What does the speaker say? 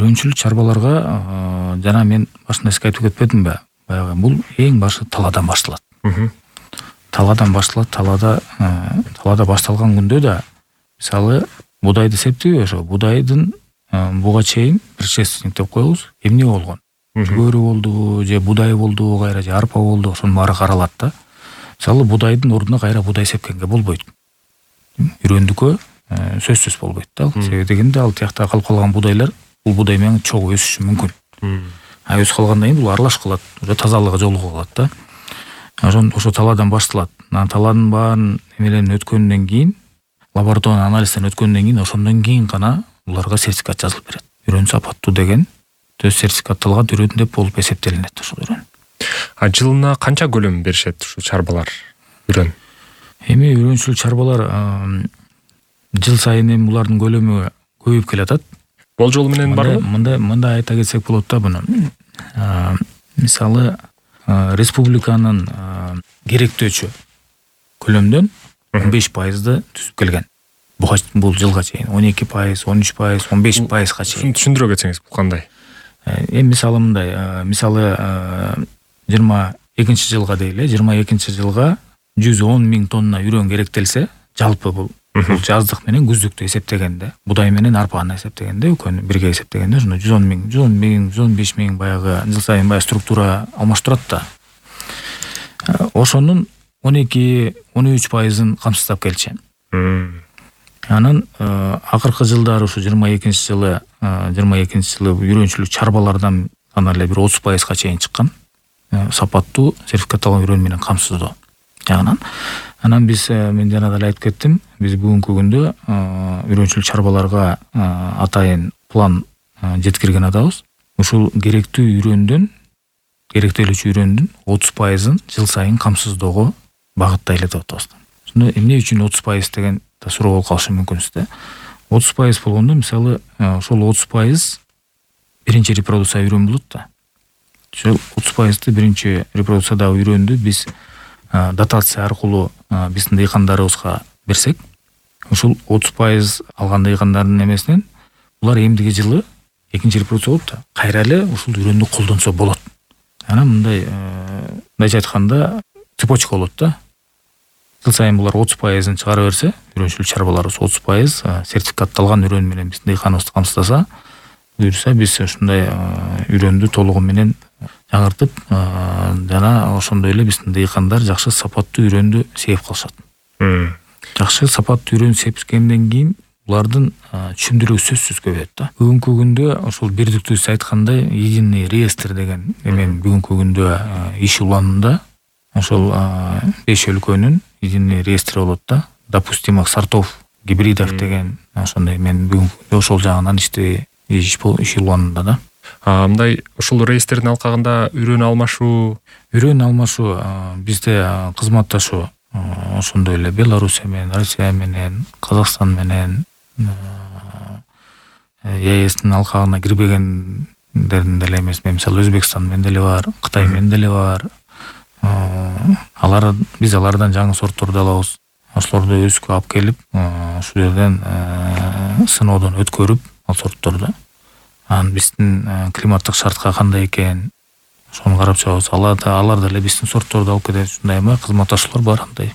Үрөнчүлүк чарбаларга жана мен башында сизге айтып кетпедимби? Баягы бул эң башы талаадан башталат. Талаадан башталат. Талаада башталган күндө да мисалы будайды септейби ошо будайдын буга чейин предшественник деп коебуз. Эмне болгон? Жүгөрү болдубу, же будай болдубу, кайра же арпа болду, ошонун баары каралат да. Мисалы будайдын ордуна кайра будай сепкенге болбойт. Үрөндүккө сөзсүз болбойт да. Себеби дегенде ал тиякта калып калган будайлар бул будай менен чогуу өсүшү мүмкүн. Өсүп калгандан кийин бул аралашып калат, уже тазалыгы жолугуп калат да. Ошо талаадан башталат. Талаанын баарын эмелен өткөндөн кийин, лабораторный анализден өткөндөн кийин, ошондон кийин гана буларга сертификат жазылып берет. Үрөн сапаттуу деген төз сертификатталган үрөн деп болуп эсептелинет ошол үрөн. Жылына канча көлөм беришет ушул чарбалар үрөн? Эми үрөнчүлүк чарбалар жыл сайын эми булардын көлөмү көбөйүп келатат. Болжол менен барбы? Мындай айта кетсек болот да буну. Мисалы республиканын керектөөчү көлөмдөн 15% түзүп келген. Бул жылга чейин 12%, 13%, 15%га чейин. Түшүндүрө кетсеңиз бул кандай? Эми мисалы мындай, мисалы 22 жылга дейли, 22 жылга 110 000 тонна үрөн керектелсе, жалпы бул жаздык менен күздүктү эсептегенде, будай менен арпаны эсептегенде, экөөнү бирге эсептегенде ошондо 110 000, 115 000 баягы жыл сайын баягы структура алмаштырат да. Ошонун 12-13%-ын камсыздап келчи. Анан акыркы жылдары ушу 22 жылы үрөнчүлүк чарбалардан гана эле бир 30%га чейин чыккан. Сапаттуу сертификатталган үрөн менен камсыздоо жагынан. Анан мен жана да айтып кеттим, биз бүгүнкү күндө үрөнчүлүк чарбаларга атайын план жеткирген атабыз. Ушул керектөөлүчү үрөндүн 30%-ын жыл сайын камсыздоого багыттайлы деп атабыз. Ошондо эмне үчүн 30% деген суроо болуп калышы мүмкүн сизде. 30% болгондо мисалы ошол 30% биринчи репродукция үрөн болот да. Ошол 30% биринчи репродукциядагы үрөндү биз дотация аркылуу биздин дыйкандарыбызга берсек, ушул 30% алган дыйкандардын эмесинен булар эмдиги жылы экинчи репродукция болуп да кайра эле ушул үрөндү колдонсо болот. Анан мындайча айтканда цепочка болот да. Жыл сайын булар 30%-ын чыгара берсе, үрөнчүлүк чарбаларыбыз 30% сертификатталган үрөн менен биздин дыйканыбызды камсыздаса, буюрса биз ушундай үрөндү толугу менен жаңыртып, жана ошондой эле биздин дыйкандар жакшы сапаттуу үрөндү сээп калышат. Жакшы сапаттуу үрөн сепкенден кийин булардын түшүмдүрүү сөзсүз көбөйөт да. Бүгүнкү күндө ошол бирдиктүү сиз айткандай единый реестр деген эмен бүгүнкү күндө иш уланында. Ошол 5 өлкөнүн единый реестри болот да. Допустимых сортов гибридов деген ошондой мен бүгүнкү ошол жагынан иш уланында да. Мындай ушул реестрдин алкагында үрөн алмашуу бизде кызматташуу ошондой эле Белоруссия менен, Россия менен, Казакстан менен, ЕСтин алкагына кирбегендердин деле эмес, мисалы Өзбекстан менен деле бар, Кытай менен деле бар. Биз алардан жаңы сортторду алабыз. Ошолорду өскө алып келип, ушул жерден сыноодон өткөрүп, ал сортторду анан биздин климаттык шартка кандай экен, ошону карап чыгабыз. Алар деле биздин сортторду алып кетет. Ушундай кызматташуулар бар андай.